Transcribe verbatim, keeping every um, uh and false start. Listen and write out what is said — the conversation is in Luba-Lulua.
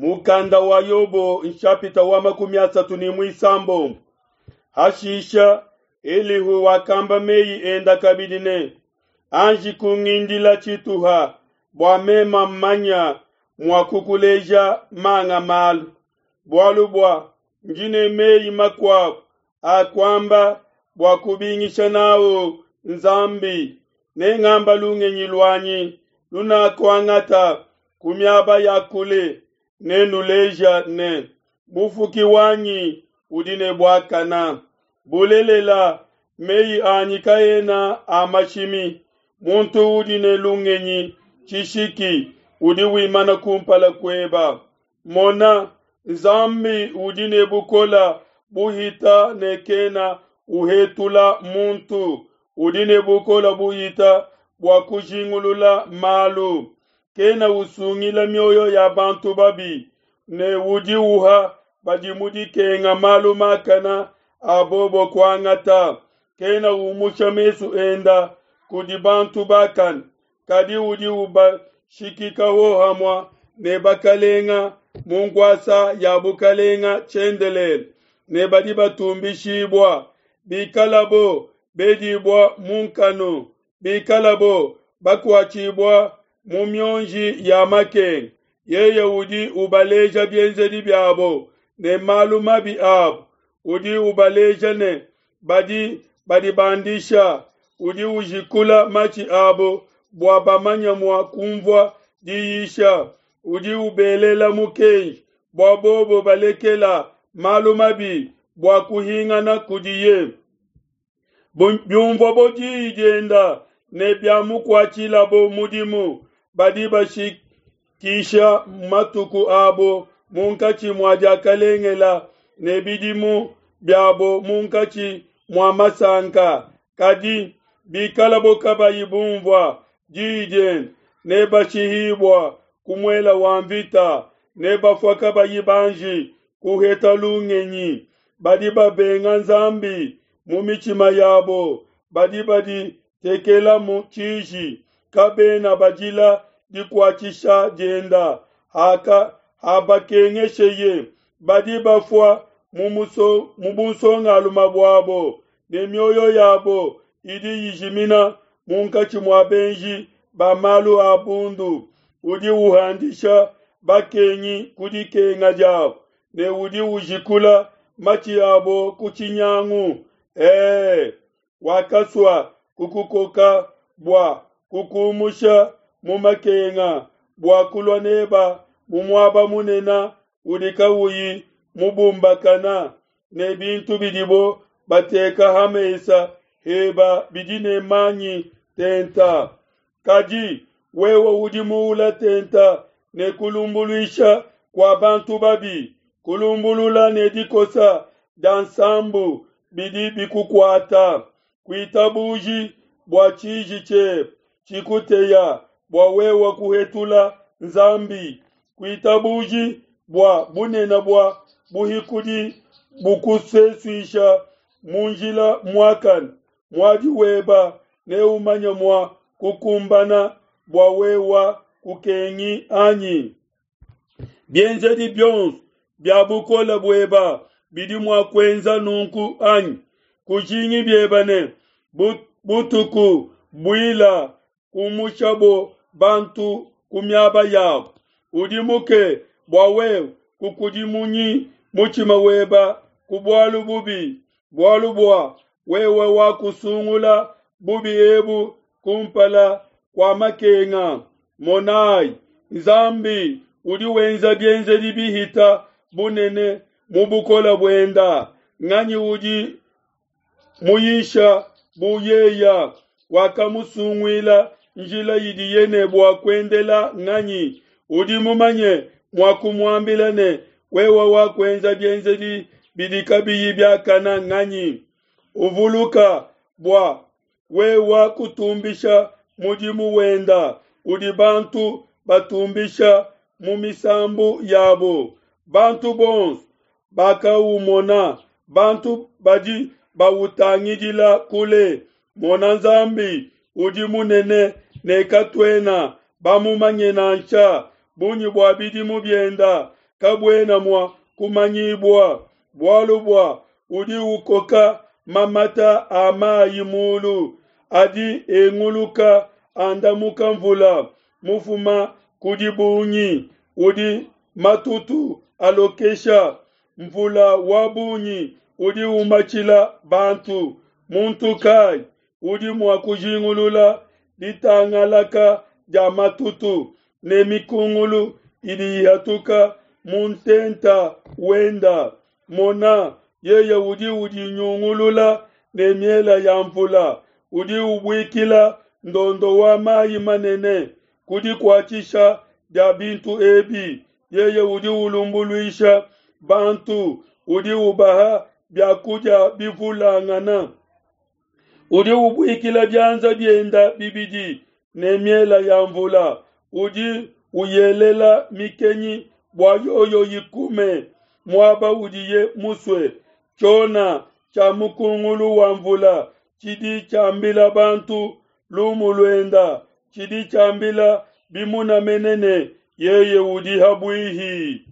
Mukanda wa Yobo nshapita wa makumi asatu ne muisambombo. Hashisha Elihu wakamba meyi enda kabidi ne, anji kungindila tshituha bua mema mmanya mua kukuleja manga malu, bualu bua ndi ne meyi makuabu a kuamba bua kubingisha nawu Nzambi. Nengamba lungenyi luanyi lunakuangata ku miaba ya kule, nenuleja ne, Mufuki wanyi udi ne buakana. Bulelela, meyi anyi kaena a mashimi. Muntu udi ne lungenyi tshishiki udi wimana kumpala kueba. Mona, Nzambi udi ne bukola buhita ne kena uhetula muntu. Udi ne bukola buhita bua kujingulula malu. Kena usungila mioyo ya bantu babi, ne udi uha badi mu dikenga malu makana a bobo kuangata. Kena umusha mesu enda kudi bantu bakane, kadi udi ubashikika hohamua ne bakalenga mu nkuasa ya bukalenga tshiendelele, ne badi batumbishibua. Bikalabo bedibua mu nkanu, bikalabo bakuatshibua mu mionji ya makenga, yeye udi ubaleja bienzedi biabo ne malu mabi abo. Udi ubaleja ne badi badibandisha, udi ujikula matshi abo bua bamanye mua kumvua diyisha. Udi ubelela mukenji bua bobo balekela malu mabi bua kuhingana kudiye. Biumvuabo diyi dienda ne biamukuatshilabo mudimu, badi bashikisha matuku abo munkatshi mua diakalengela ne bidimu biabo munkatshi mua masanka. Kadi bikalabo kabayi bumvua diyi diende, nebashihibua ku muela wa mvita, nebafua kabayi banji kuheta lungenyi. Badi babenga Nzambi mu mitshima yabo, badi baditekelamu tshiji, kabena bajila dikuatshisha dienda. Haka habakengesheye, badi bafua mu muso mu bunsongalume buabo, ne mioyo yabo idi ijimina munkatshi mua benji ba malu a bundu. Udi uhandisha bakengi ku dikenga diabo, ne udi ujikula matshi abo ku tshinyangu. Ee, wakasua kukukoka bua kukumusha mu makenga, bua kulua neba mu muaba munene udi kawuyi mubumbakana, ne bintu bidibo bateka ha mesa heba bidi ne manyi tenta. Kadi wewe udi muula tenta ne kulumbuluisha kua bantu babi, kulumbulula ne dikosa dia nsambu bidi bikukuata. Kuitabuji bua tshiji tshiebe tshikuteya bua wewe kuhetula Nzambi. Kuitabuji bua bunene bua buhikudi bukusesuisha mu njila muakane. Muadi weba neumanye mua kukumbana bua wewa kukengi anyi? Bienzedi bionso bia bukole bueba bidi mua kuenza nunku anyi? Kujingi bieba ne butuku buila kumushabo bantu ku miaba yabo. Udimuke bua wewe kukudimunyi mutshima weba ku bualu bubi, bualu bua wewe wakusungula bubi ebu kumpala kua makenga. Monai, Nzambi udi wenza bienzedi bihita bunene mu bukole buenda. Nganyi udi muyisha bu yeya? Wakamusunguila njila idiye ne bua kuendela nganyi? Udi mumanye mua kumuambila ne, wewe wakuenza bienzedi bidi kabiyi biakana nganyi? Uvuluka bua wewe kutumbisha mudimu wenda udi bantu batumbisha mu misambu yabo. Bantu bonso bakaumona, bantu badi bautangidila kule. Mona, Nzambi udi munene ne katuena bamumanye nansha. Bungi bua bidimu bienda kabuena mua kumanyibua. Bualu bua udi ukoka mamata a mayi mulu, adi enguluka andamuka mvula mufuma ku dibungi udi matutu alokesha. Mvula wa bungi udi umatshila bantu. Muntu kayi udi mua kujingulula ditangalaka dia matutu ne mikungulu idi ihatuka mu ntenta wenda? Mona, yeye udi udinyungulula ne miele ya nvula, udi ubuikila ndondo wa mai manene. Ku dikuatshisha dia bintu ebi yeye udi ulumbuluisha bantu, udi ubaha bia kudia bivulangana. Udi ubuikila bianza bienda bibidi ne miele ya mvula, udi uyelela mikenyi bua yoyo ikume muaba udiye musue. Tshiona tshia mukungulu wa mvula tshidi tshiambila bantu lumu luenda, tshidi tshiambila bimuna mene ne, Yeye udi ha buihi.